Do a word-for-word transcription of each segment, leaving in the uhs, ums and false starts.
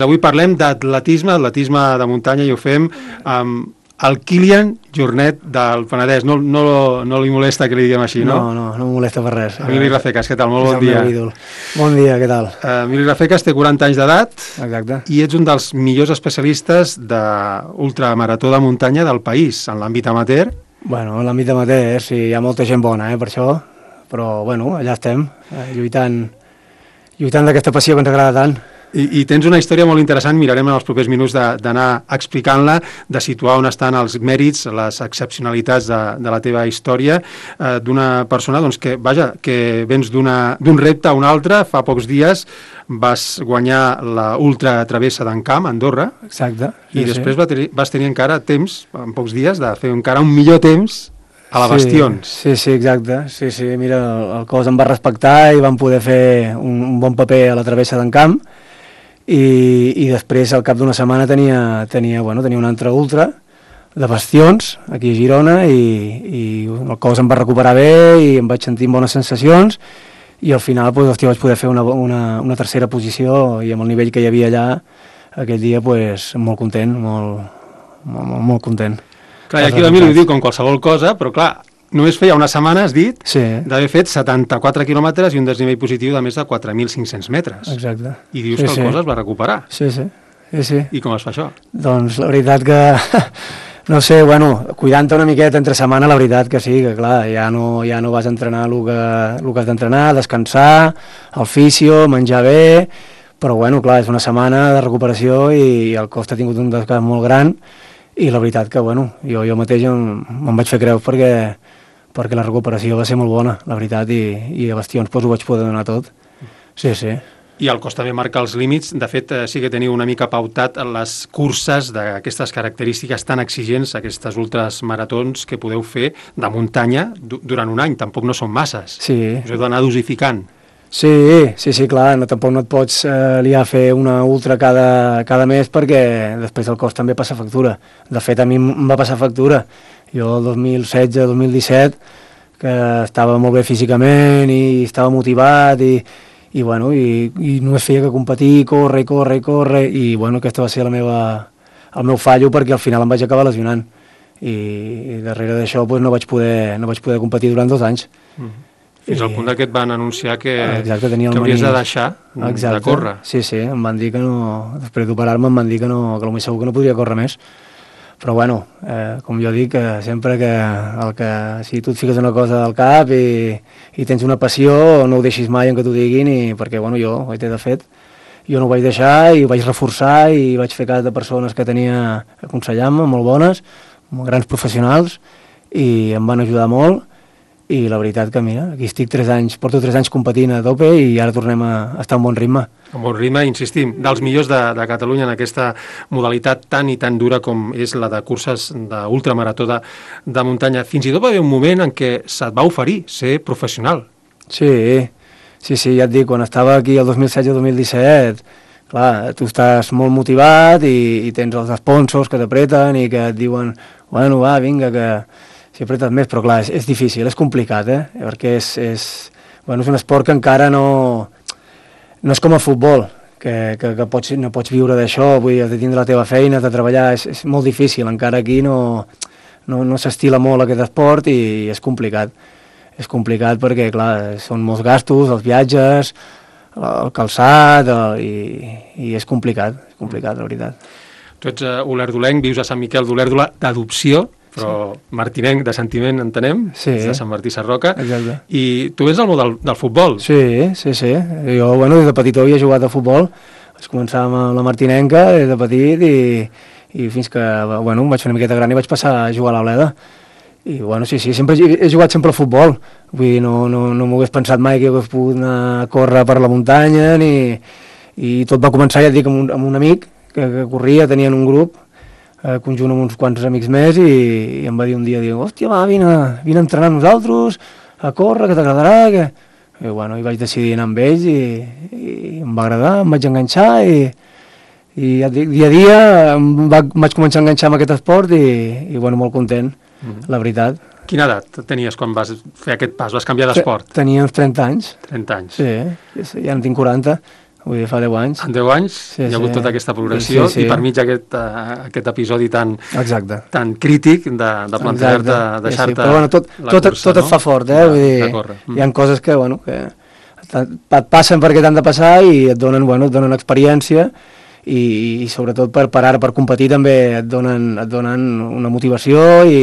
Avui parlem d'atletisme, atletisme de muntanya, i ho fem amb el Kilian Jornet del Penedès. No, no, no li molesta que li diguem així, no? No, no, no em molesta per res. Emili Rafecas, què tal? Molt bon dia. Bon dia, què tal? Emili Rafecas té quaranta anys d'edat. Exacte. I ets un dels millors especialistes d'ultramarató de muntanya del país, en l'àmbit amateur. Bueno, en l'àmbit amateur, sí, hi ha molta gent bona, eh, per això, però, bueno, allà estem, eh, lluitant, lluitant d'aquesta passió que ens agrada tant. I, I tens una història molt interessant, mirarem en els propers minuts d'anar explicant-la, de situar on estan els mèrits, les excepcionalitats de, de la teva història, eh, d'una persona doncs, que, vaja, que vens d'un repte a un altre. Fa pocs dies vas guanyar la Ultra Travessa d'en Camp, a Andorra. Exacte. I sí, després sí. vas tenir, vas tenir encara temps, en pocs dies, de fer encara un millor temps a la Bastions. Sí, sí, sí, exacte. Sí, sí, mira, el, el cos em va respectar i vam poder fer un, un bon paper a la Travessa d'en Camp. I, i després al cap d'una setmana tenia, tenia, bueno, tenia una altra ultra de Bastions aquí a Girona i, i el cos em va recuperar bé i em vaig sentir amb bones sensacions i al final pues, hòstia, vaig poder fer una, una, una tercera posició i amb el nivell que hi havia allà aquell dia pues, molt content, molt, molt, molt, molt content. Clar, i aquí l'Emili ho diu com qualsevol cosa, però clar, només feia una setmana, has dit, sí. d'haver fet setanta-quatre quilòmetres i un desnivell positiu de més de quatre mil cinc-cents metres. Exacte. I dius sí, que el sí. cos es va recuperar. Sí, sí. sí, sí. I com es fa això? Doncs la veritat que, no sé, bueno, cuidant-te una miqueta entre setmana, la veritat que sí, que clar, ja no, ja no vas entrenar el que, el que has d'entrenar, descansar, el fisio, menjar bé, però bueno, clar, és una setmana de recuperació i el cos ha tingut un desgast molt gran i la veritat que, bueno, jo, jo mateix em, em vaig fer creus perquè perquè la recuperació va ser molt bona, la veritat, i, i a Bastions pues, ho vaig poder donar tot. Sí, sí. I el cos també marca els límits. De fet, sí que teniu una mica pautat les curses d'aquestes característiques tan exigents, aquestes ultras maratons que podeu fer de muntanya durant un any. Tampoc no són masses. Sí. Us heu d'anar dosificant. Sí, sí, sí, clar, no, tampoc no et pots eh, liar a fer una ultra cada, cada mes perquè després el cos també passa factura. De fet, a mi em va passar factura. Jo el dos mil setze dos mil disset, que estava molt bé físicament i estava motivat i, i, bueno, i, i només feia que competir, córrer, córrer, córrer, i bueno, aquesta va ser la meva, el meu fallo perquè al final em vaig acabar lesionant. I, i darrere d'això pues, no, vaig poder, no vaig poder competir durant dos anys. Mm-hmm. Fins al punt que et van anunciar que, Exacte, que hauries de deixar Exacte. de córrer. Sí, sí, em van dir que no, després d'operar-me em van dir que no, que potser segur que no podria córrer més. Però bueno, eh, com jo dic, eh, sempre que, el que si tu et fiques una cosa al cap i, i tens una passió, no ho deixis mai en que t'ho diguin, i, perquè bueno, jo, ho he de fet, jo no ho vaig deixar i ho vaig reforçar i vaig fer cas de persones que tenia aconsellant-me, molt bones, molt grans professionals, i em van ajudar molt. I la veritat que, mira, aquí estic tres anys, porto tres anys competint a tope i ara tornem a estar en bon ritme. En bon ritme, insistim, dels millors de, de Catalunya en aquesta modalitat tan i tan dura com és la de curses d'ultramarató de, de muntanya. Fins i tot va haver un moment en què se't va oferir ser professional. Sí, sí, sí, ja et dic, quan estava aquí el dos mil setze dos mil disset, clar, tu estàs molt motivat i, i tens els sponsors que t'apreten i que et diuen, bueno, va, vinga, que... si apretes més, però clar, és, és difícil, és complicat, eh? Perquè és, és, bueno, és un esport que encara no, no és com el futbol, que, que, que pots, no pots viure d'això, vull dir, has de tindre la teva feina, has de treballar, és, és molt difícil, encara aquí no, no, no s'estila molt aquest esport i és complicat. És complicat perquè, clar, són molts gastos, els viatges, el calçat, el, i, i és complicat, és complicat, la veritat. Tu ets uh, olerdolenc, vius a Sant Miquel d'Olèrdola d'adopció, però sí. Martinenc de sentiment, entenem, sí. de Sant Martí Sarroca. Exacte. I tu vens al món del, del futbol. Sí, sí, sí. Jo, bueno, des de petit havia jugat a futbol, vaig començar amb la Martinenca des de petit i, i fins que, bueno, em vaig fer una miqueta gran i vaig passar a jugar a l'Oleda. I, bueno, sí, sí, sempre he jugat sempre al futbol. Vull dir, no, no, no m'ho hagués pensat mai que hagués pogut anar a córrer per la muntanya, ni... i tot va començar, ja et dic, amb un, amb un amic que, que corria, tenien un grup, eh, conjunt amb uns quants amics més, i, i em va dir un dia, diu, hòstia, va, vine, vine a entrenar amb nosaltres, a córrer, que t'agradarà, que... I, bueno, i vaig decidir anar amb ells i, i em va agradar, em vaig enganxar i, i ja dic, dia a dia em, va, em vaig començar a enganxar amb aquest esport i, i bueno, molt content, mm-hmm. la veritat. Quina edat tenies quan vas fer aquest pas, vas canviar d'esport? Tenia uns trenta anys. trenta anys. Sí, sí, ja en tinc quaranta. vull dir, fa deu anys. En deu anys Sí, hi ha hagut sí. tota aquesta progressió Sí, sí. i per mig aquest, uh, aquest episodi tan, Exacte. tan crític de, de plantejar-te, Exacte. deixar-te Sí, sí. Però, bueno, tot, la tot, cursa, tot no? et fa fort, eh? De, Vull dir, de córrer. hi ha coses que, bueno, que et passen perquè t'han de passar i et donen, bueno, et donen experiència i, i sobretot per, per ara, per competir també et donen, et donen una motivació i,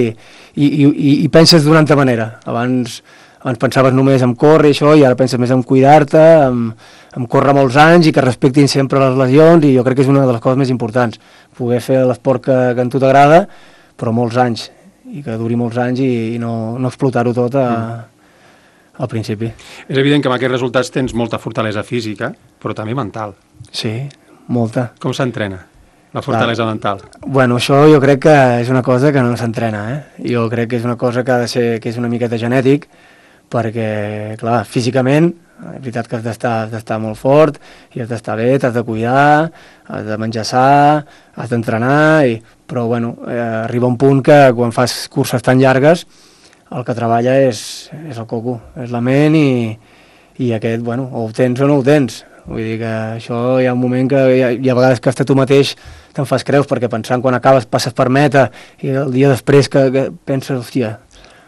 i, i, i penses d'una altra manera. Abans, abans pensaves només en córrer i això, i ara penses més en cuidar-te, en, en córrer molts anys i que respectin sempre les lesions, i jo crec que és una de les coses més importants, poder fer l'esport que, que a tu t'agrada, però molts anys, i que duri molts anys i, i no, no explotar-ho tot a, al principi. És evident que amb aquests resultats tens molta fortalesa física, però també mental. Sí, molta. Com s'entrena la fortalesa Clar. mental? Bueno, això jo crec que és una cosa que no s'entrena, eh? Jo crec que és una cosa que ha de ser, que és una miqueta genètic, perquè, clar, físicament, és veritat que has d'estar has d'estar molt fort, i has d'estar bé, t'has de cuidar, has de menjar sa, has d'entrenar, i... però, bueno, eh, arriba un punt que quan fas curses tan llargues, el que treballa és, és el coco, és la ment, i, i aquest, bueno, o ho tens o no ho tens. Vull dir que això hi ha un moment que hi ha, hi ha vegades que hasta tu mateix te'n fas creus, perquè pensant quan acabes passes per meta i el dia després que, que penses, hòstia,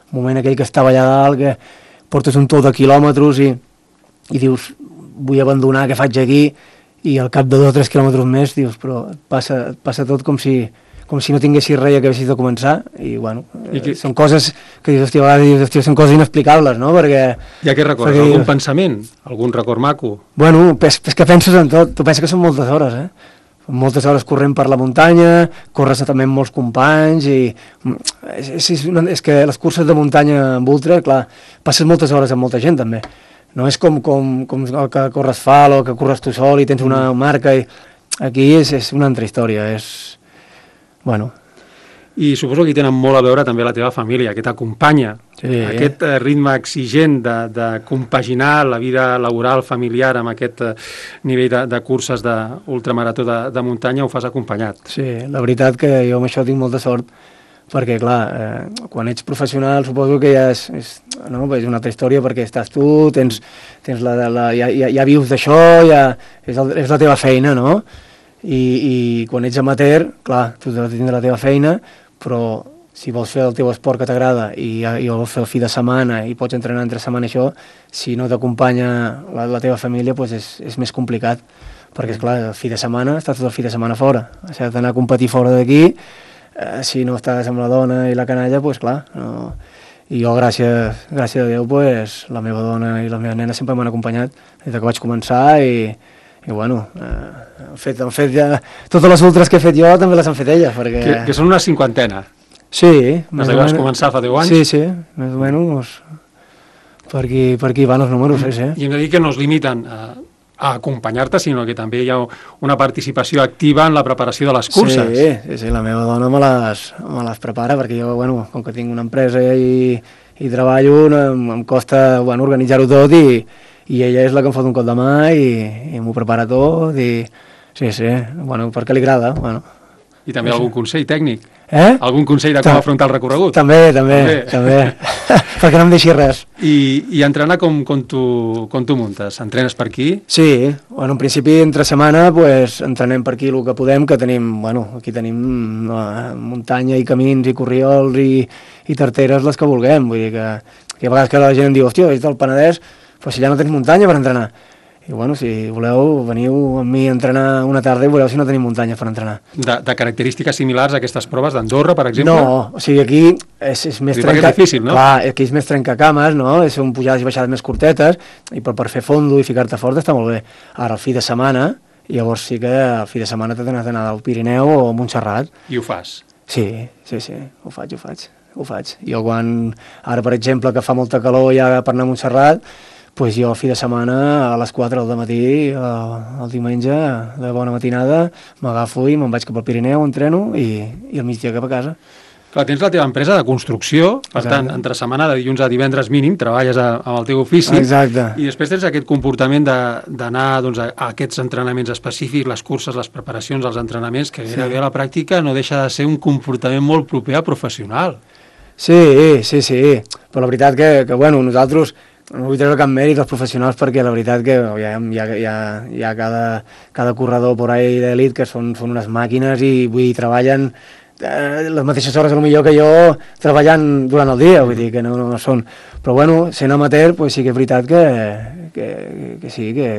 el moment aquell que estava allà dalt, que portes un tot de quilòmetres i, i dius, vull abandonar, què faig aquí? I al cap de dos o tres quilòmetres més dius, però passa, passa tot com si, com si no tinguessis res que haguessis de començar, i bueno, I que... eh, són coses que dius, hòstia, a vegades dius, hòstia, són coses inexplicables, no? Perquè... I a què records? perquè... Algun pensament? Algun record maco? Bueno, és, és que penses en tot, tu penses que són moltes hores, eh? Moltes hores corrent per la muntanya, corres també amb molts companys, i és, és, una, és que les curses de muntanya amb ultra, clar, passes moltes hores amb molta gent també. No és com, com, com el que corres fal o que corres tu sol i tens una marca, i aquí és, és una altra història, és... Bueno... I suposo que hi tenen molt a veure també la teva família, que t'acompanya. Sí. Aquest eh, ritme exigent de, de compaginar la vida laboral, familiar, amb aquest eh, nivell de, de curses d'ultramarató de, de muntanya, ho fas acompanyat. Sí, la veritat que jo amb això tinc molta sort, perquè, clar, eh, quan ets professional suposo que ja és, és, no, és una altra història, perquè estàs tu, tens, tens la, la, ja, ja, ja vius d'això, ja, és, el, és la teva feina, no? I, i quan ets amateur, clar, tu has de tindre la teva feina, però si vols fer el teu esport que t'agrada i, i vols fer el fi de setmana i pots entrenar entre setmana això, si no t'acompanya la, la teva família, doncs és, és més complicat, perquè, esclar, el fi de setmana, estàs tot el fi de setmana fora, has d'anar a competir fora d'aquí, eh, si no estàs amb la dona i la canalla, doncs clar, no... I jo, gràcies, gràcies a Déu, pues, la meva dona i la meva nena sempre m'han acompanyat des que vaig començar, i, i bueno, eh, han fet, han fet ja... Totes les ultres que he fet jo també les han fet elles, perquè... Que, que són una cinquantena. Sí. Des que vas començar fa deu anys? Sí, sí, més o menys. Per aquí, per aquí van els números, sí, sí. I hem de dir que no es limiten a, a acompanyar-te, sinó que també hi ha una participació activa en la preparació de les curses. Sí, sí, sí, la meva dona me les, me les prepara, perquè jo, bueno, com que tinc una empresa i, i treballo, em, em costa, bueno, organitzar-ho tot, i, i ella és la que em fot un cop de mà i, i m'ho prepara tot, i sí, sí, bueno, perquè li agrada, bueno. I també algun consell tècnic? Eh? Algun consell de com Ta afrontar el recorregut? També, també, també, també. perquè no em deixi res. I, i entrenar com, com, tu, com tu muntes? Entrenes per aquí? Sí, bueno, en principi entre setmana pues, entrenem per aquí el que podem, que tenim, bueno, aquí tenim no, muntanya i camins i corriols i, i tarteres les que vulguem, vull dir que, que a vegades que la gent em diu, hòstia, ets del Penedès, però si ja no tens muntanya per entrenar. I bueno, si voleu, veniu amb mi a entrenar una tarda i veureu si no tenim muntanya per entrenar. De, de característiques similars a aquestes proves d'Andorra, per exemple? No, o sigui, aquí és, és més trenca... és difícil, no? Clar, aquí és més trencacames, no? Són pujades i baixades més curtetes, i per, per fer fondo i ficar-te fort està molt bé. Ara, el fi de setmana, llavors sí que el fi de setmana t'has d'anar al Pirineu o a Montserrat. I ho fas? Sí, sí, sí, ho faig, ho faig, ho faig. Jo quan, ara per exemple, que fa molta calor ja per anar a Montserrat, pues jo el fi de setmana a les quatre del matí, el, el diumenge, de bona matinada, m'agafo i me'n vaig cap al Pirineu, entreno i, i al migdia cap a casa. Clar, tens la teva empresa de construcció, per Exacte. tant, entre setmana de dilluns a divendres mínim, treballes a, amb el teu ofici. Exacte. I després tens aquest comportament d'anar doncs, a, a aquests entrenaments específics, les curses, les preparacions, els entrenaments, que gairebé sí. a la pràctica no deixa de ser un comportament molt proper a professional. Sí, sí, sí, però la veritat que, que bueno, nosaltres no vull treure cap mèrit als professionals perquè la veritat que hi ha, hi ha, hi ha, hi ha cada, cada corredor por ahí d'elit que són, són unes màquines i vull dir, treballen eh, les mateixes hores potser que jo treballant durant el dia, vull dir que no, no són, però bueno, sent amateur pues sí que és veritat que, que, que sí, que,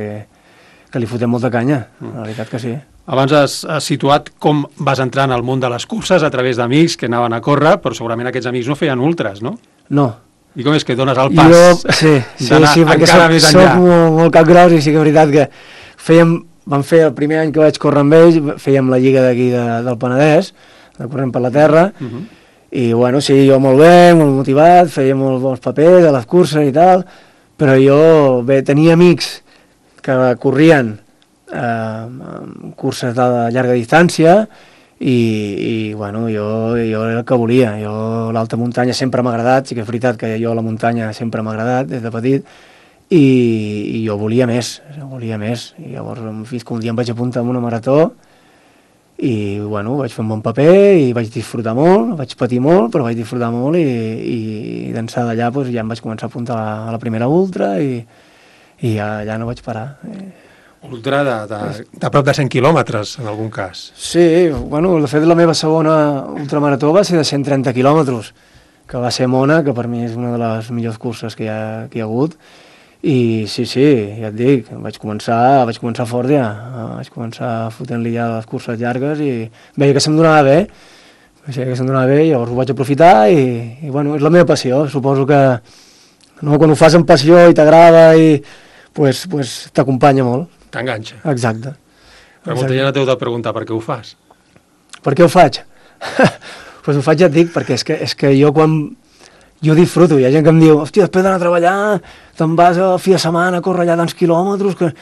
que li fotem molta canya, la veritat que sí. Abans has, has situat com vas entrar en el món de les curses a través d'amics que anaven a córrer, però segurament aquests amics no feien ultras, no? No. I com és que dones el pas jo, sí, sí, sí, perquè soc, soc molt, molt capgros i sí que és veritat que fèiem, vam fer el primer any que vaig córrer amb ells, fèiem la lliga d'aquí de, del Penedès, de corrent per la terra, uh -huh. i bueno, sí, jo molt bé, molt motivat, feia molt bons papers a les curses i tal, però jo bé, tenia amics que corrien eh, curses de llarga distància, i, i bueno, jo, jo era el que volia, jo l'alta muntanya sempre m'ha agradat, sí que és veritat que jo la muntanya sempre m'ha agradat des de petit, i, i jo volia més, volia més, i llavors fins que un dia em vaig apuntar a una marató, i bueno, vaig fer un bon paper, i vaig disfrutar molt, vaig patir molt, però vaig disfrutar molt, i, i d'ençà d'allà pues, ja em vaig començar a apuntar a la, a la primera ultra, i, i ja, ja no vaig parar. Ultra de, de, de prop de cent quilòmetres, en algun cas. Sí, bueno, de fet la meva segona ultramarató va ser de cent trenta quilòmetres, que va ser Mona, que per mi és una de les millors curses que hi ha, que hi ha hagut, i sí, sí, ja et dic, vaig començar, vaig començar fort ja, vaig començar fotent-li ja les curses llargues i veia que se'm donava bé, veia que se'm donava bé, llavors ho vaig aprofitar i, i bueno, és la meva passió, suposo que no, quan ho fas amb passió i t'agrada i pues, pues, t'acompanya molt. T'enganxa. Exacte. Però molta gent t'heu de preguntar per què ho fas. Per què ho faig? Doncs pues ho faig, ja et dic, perquè és que, és que jo quan... Jo disfruto, hi ha gent que em diu, hòstia, després d'anar a treballar, te'n vas a fi de setmana a córrer allà tants quilòmetres... Que...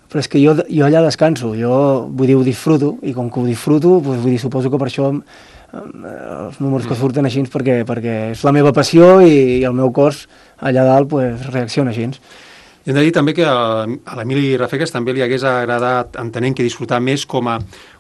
Però és que jo, jo allà descanso, jo vull dir, ho disfruto, i com que ho disfruto, doncs, vull dir, suposo que per això els números que surten així, perquè, perquè és la meva passió i, i el meu cos allà dalt pues, reacciona així. I hem de dir també que a l'Emili Rafegues també li hagués agradat, entenent que disfrutar més com a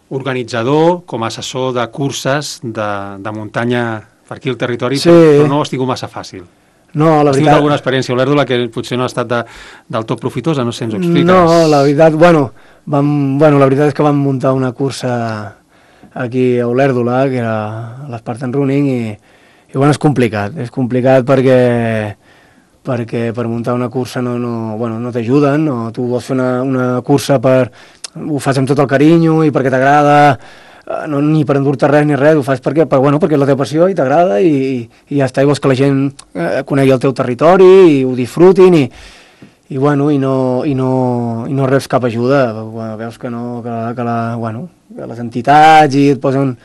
organitzador, com a assessor de curses de, de muntanya per aquí al territori, sí. però, però no ho has tingut massa fàcil. No, la has veritat... tingut alguna experiència a Olèrdola que potser no ha estat de, del tot profitosa, no sé, ens ho expliques? No, la veritat, bueno, vam, bueno, la veritat és que vam muntar una cursa aquí a Olèrdola, que era l'Spartan Running, i, i bueno, és complicat, és complicat perquè... perquè per muntar una cursa no, no, bueno, no t'ajuden, no, tu vols fer una, una cursa per... ho fas amb tot el carinyo i perquè t'agrada, no, ni per endur-te res ni res, ho fas perquè, per, bueno, perquè és la teva passió i t'agrada i, i, i ja està, i vols que la gent eh, conegui el teu territori i ho disfrutin i, i, bueno, i, no, i, no, i no reps cap ajuda, bueno, veus que, no, que, la, que, la, bueno, que les entitats i et posen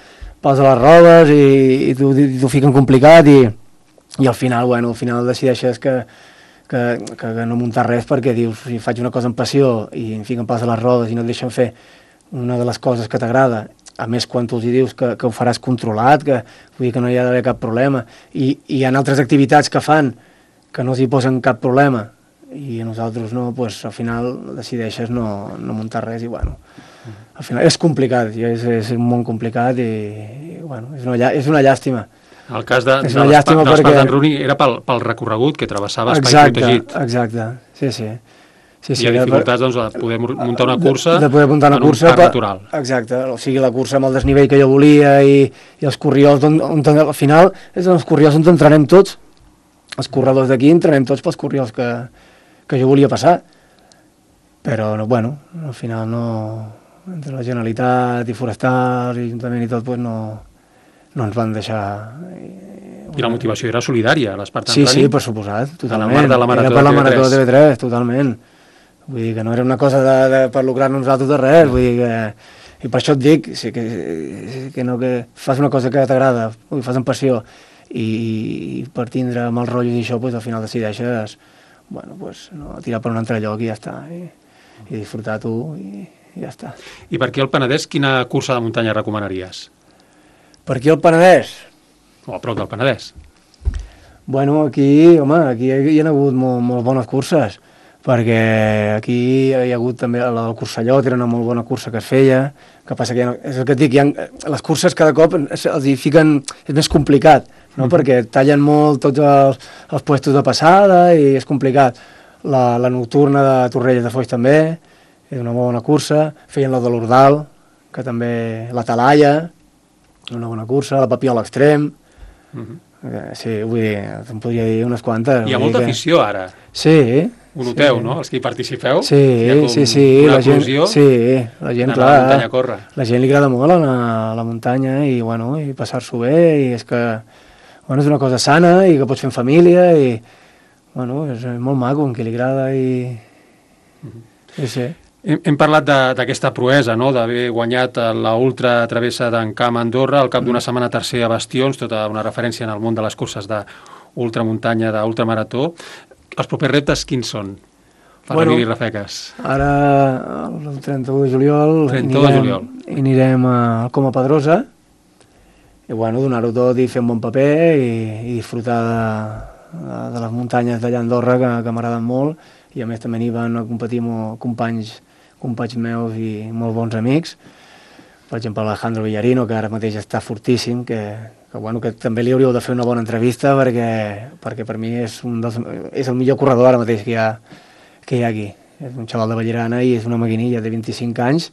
pals a les rodes i, i t'ho fiquen complicat i i al final, bueno, al final decideixes que, que, que, que no muntar res perquè dius, si faig una cosa amb passió i em fiquen pals a les rodes i no et deixen fer una de les coses que t'agrada, a més quan tu els dius que, que ho faràs controlat, que, vull dir que no hi ha d'haver cap problema, i, i hi ha altres activitats que fan que no s'hi posen cap problema i a nosaltres no, doncs al final decideixes no, no muntar res i bueno, al final és complicat, és, és un món complicat i, i bueno, és una, és una llàstima. El cas de, de l'Spartan perquè... Running era pel, pel recorregut que travessava espai protegit. Exacte, sí, sí. sí, sí Hi ha dificultats doncs, de poder muntar una cursa, de, de poder muntar una en cursa un parc natural. Exacte, o sigui, la cursa amb el desnivell que jo volia i, i els corriols, on, on, al final és els corriols on entrenem tots, els corredors d'aquí entrenem tots pels corriols que, que jo volia passar. Però, no, bueno, al final no... entre la Generalitat i Forestals i Ajuntament i tot, pues no... no ens van deixar... I la motivació era solidària, l'Spartan sí, Running? Sí, sí, per suposat, totalment. A la mar de la Marató era per la Marató de T V tres, totalment. Vull dir que no era una cosa de, de, per lucrar-nos nosaltres de res, vull dir que... I per això et dic, sí, que, que no que fas una cosa que t'agrada, ho fas amb passió, i, i per tindre mals rotllos i això, pues, al final decideixes bueno, pues, no, tirar per un altre lloc i ja està, i, i disfrutar tu, i, i ja està. I per aquí al Penedès, quina cursa de muntanya recomanaries? Per aquí al Penedès? O a prop del Penedès? Bueno, aquí, home, aquí hi ha hagut molt, molt bones curses, perquè aquí hi ha hagut també la del Cursallot, era una molt bona cursa que es feia, que passa que ja no, és el que et dic, ha, les curses cada cop els hi fiquen, és més complicat no? Mm. Perquè tallen molt tots els, els puestos de passada i és complicat. La, la nocturna de Torrelles de Foix també, és una bona cursa. Feien la de l'Ordal, que també la Talaia, una bona cursa, la Papiol Extrem. Mm-hmm. Sí, vull dir, em podria dir unes quantes. Hi ha molta que... afició ara. Sí. Ho noteu, sí. no? Els que hi participeu. Sí, sí, sí. Una la gent, eclosió sí, la gent, clar, a la muntanya a córrer. La gent li agrada molt anar a la muntanya i, bueno, i passar-s'ho bé, i és que, bueno, és una cosa sana i que pots fer en família i, bueno, és molt maco, en qui li agrada i... Mm-hmm. Sí, sí. Hem, hem parlat d'aquesta proesa, no?, d'haver guanyat la ultra travessa d'en Camp Andorra, al cap d'una setmana tercer a Bastions, tota una referència en el món de les curses d'ultramuntanya, d'ultramarató. Els propers reptes quins són per bueno, Emili Rafeques? Ara, el trenta-u de juliol, trenta-u de juliol. I anirem al Coma Pedrosa i, bueno, donar-ho tot i fer un bon paper i, i disfrutar de, de, de les muntanyes d'allà a Andorra, que, que m'agraden molt, i a més també n'hi van a competir amb companys companys meus i molt bons amics. Per exemple, Alejandro Villarino, que ara mateix està fortíssim, que, que, bueno, que també li hauríeu de fer una bona entrevista perquè, perquè per mi és, un dels, és el millor corredor ara mateix que hi, ha, que hi ha aquí. És un xaval de Ballerana i és una maquinilla de vint-i-cinc anys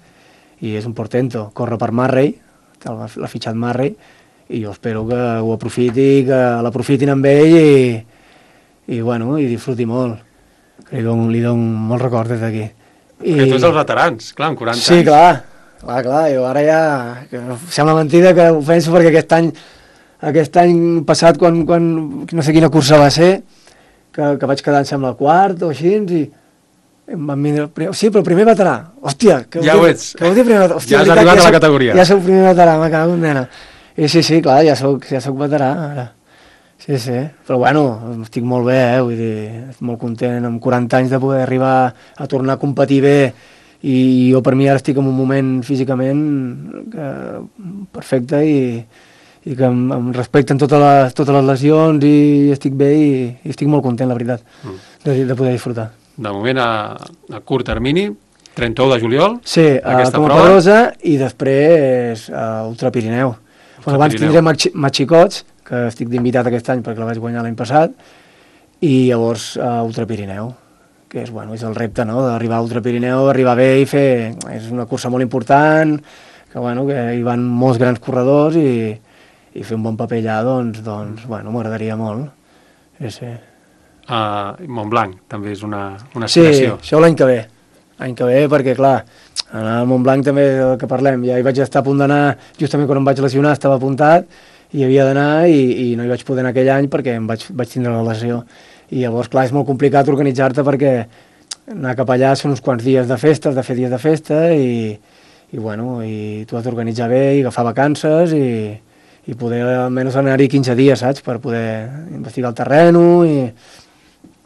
i és un portento. Corre per Marray, l'ha fitxat Marray, i jo espero que ho aprofiti, que l'aprofitin amb ell i, i, bueno, i disfruti molt. Li dono, li dono molt record des d'aquí. I... Perquè tu ets els veterans, clar, amb quaranta sí, anys. Sí, clar, clar, clar, jo ara ja... Que sembla mentida que ho penso perquè aquest any, aquest any passat, quan, quan no sé quina cursa va ser, que, que vaig quedar, em sembla, quart o així, i em van vindre... Sí, però primer veterà. Hòstia, que ja ho ets. Que ho primer veterà. Hòstia, ja has arribat ja a la soc, categoria. Ja soc primer veterà, me cago en nena. I sí, sí, clar, ja soc, ja soc veterà, ara. Sí, sí, però bueno, estic molt bé, eh? Vull dir, estic molt content amb quaranta anys de poder arribar a tornar a competir bé i jo per mi ara estic en un moment físicament que, perfecte i, i que em, em respecten totes les, totes les lesions i estic bé i, i estic molt content, la veritat, mm. de, de poder disfrutar. De moment a, a curt termini, trenta-u de juliol, sí, aquesta a prova. Pedrosa i després a Ultra Pirineu. Ultra bueno, abans Pirineu. tindrem Matxicots, que estic d'invitat aquest any perquè la vaig guanyar l'any passat, i llavors a Ultra Pirineu, que és, bueno, és el repte, no?, d'arribar a Ultra Pirineu, arribar bé i fer... És una cursa molt important, que, bueno, que hi van molts grans corredors i, i fer un bon paper allà, doncs, doncs bueno, m'agradaria molt. Sí, sí. Uh, Montblanc també és una, una sí, aspiració. Sí, això l'any que ve. L'any que ve, perquè, clar, anar a Montblanc també, del que parlem, ja hi vaig estar a punt d'anar, justament quan em vaig lesionar estava apuntat, i havia d'anar i, i no hi vaig poder anar aquell any perquè em vaig, vaig tindre la lesió. I llavors, clar, és molt complicat organitzar-te perquè anar cap allà són uns quants dies de festa, de fer dies de festa i, i bueno, i tu has d'organitzar bé i agafar vacances i, i poder almenys anar-hi quinze dies, saps?, per poder investigar el terreno i,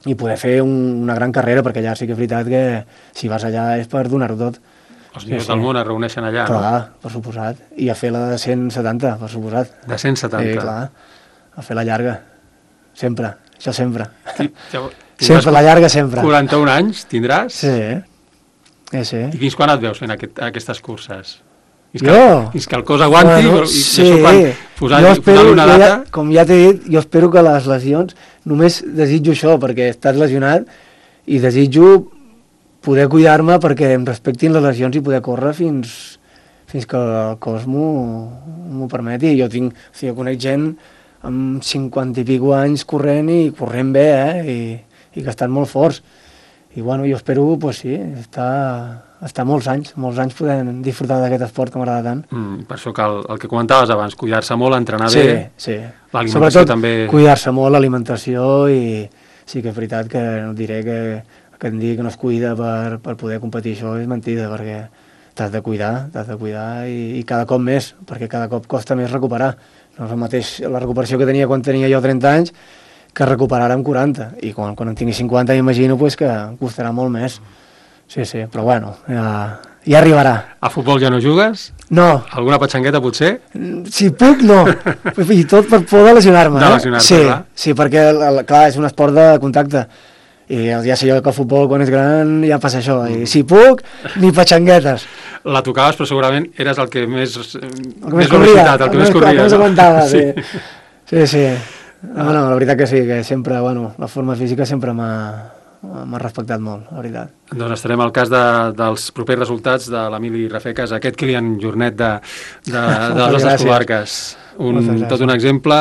i poder fer un, una gran carrera, perquè allà sí que és veritat que si vas allà és per donar-ho tot. Els millors sí, del món es reuneixen allà, clar, no? Per suposat. I a fer la de cent setanta, per suposat. De cent setanta? Sí, clar. A fer la llarga. Sempre. Això sempre. Sí, ja, sempre, la llarga sempre. quaranta-un anys tindràs? Sí. Sí, sí. I fins quan et veus fent aquest, aquestes curses? Fins jo? Que, fins que el cos aguanti, bueno, i, sí. i això quan posar-li posar una data... Ja, com ja t'he dit, jo espero que les lesions, només desitjo això, perquè estàs lesionat, i desitjo poder cuidar-me perquè em respectin les lesions i poder córrer fins, fins que el cos m'ho permeti. Jo tinc, o sigui, conec gent amb cinquanta i pico anys corrent i corrent bé, eh? I, i que estan molt forts. I bueno, jo espero, pues sí, estar, estar molts anys, molts anys podent disfrutar d'aquest esport que m'agrada tant. Mm, per això que el, el que comentaves abans, cuidar-se molt, entrenar sí, bé, sí. l'alimentació Sobretot, també... cuidar-se molt, l'alimentació, i sí que és veritat que no diré que que em digui que no es cuida per, per poder competir, això és mentida, perquè t'has de cuidar, t'has de cuidar i, i cada cop més, perquè cada cop costa més recuperar. No és el mateix la recuperació que tenia quan tenia jo trenta anys que recuperar amb quaranta, i quan, quan en tingui cinquanta m'imagino pues, que em costarà molt més. Sí, sí, però bueno, ja, ja arribarà. A futbol ja no jugues? No. Alguna patxangueta potser? Si puc, no. I tot per por de lesionar-me. De lesionar-te, sí, clar. Sí, perquè clar, és un esport de contacte. I ja sé jo que el futbol quan és gran ja passa això, i si puc, ni patxanguetes. La tocaves, però segurament eres el que més, el que més velocitat, el que més corria. El que més aguantava, sí. Sí, sí. No, no, la veritat que sí, que sempre, bueno, la forma física sempre m'ha m'ha respectat molt, la veritat. Doncs estarem al cas de, dels propers resultats de l'Emili Rafecas, aquest Kilian Jornet de, de, de les nostres comarques. Un, tot un exemple,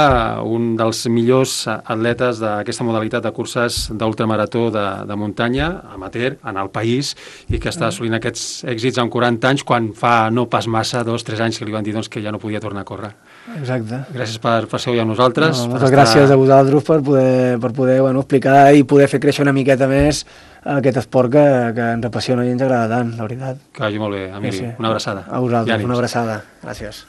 un dels millors atletes d'aquesta modalitat de curses d'ultramarató de, de muntanya, amateur, en el país, i que està assolint aquests èxits amb quaranta anys, quan fa no pas massa, dos, tres anys, que li van dir doncs, que ja no podia tornar a córrer. Exacte. Gràcies per, per ser avui amb nosaltres. No, moltes gràcies estar... a vosaltres per poder, per poder bueno, explicar i poder fer créixer una miqueta més aquest esport que, que ens apassiona i ens agrada tant, la veritat. Que vagi molt bé, Emili. Sí, sí. Una abraçada. A vosaltres, una abraçada. Gràcies.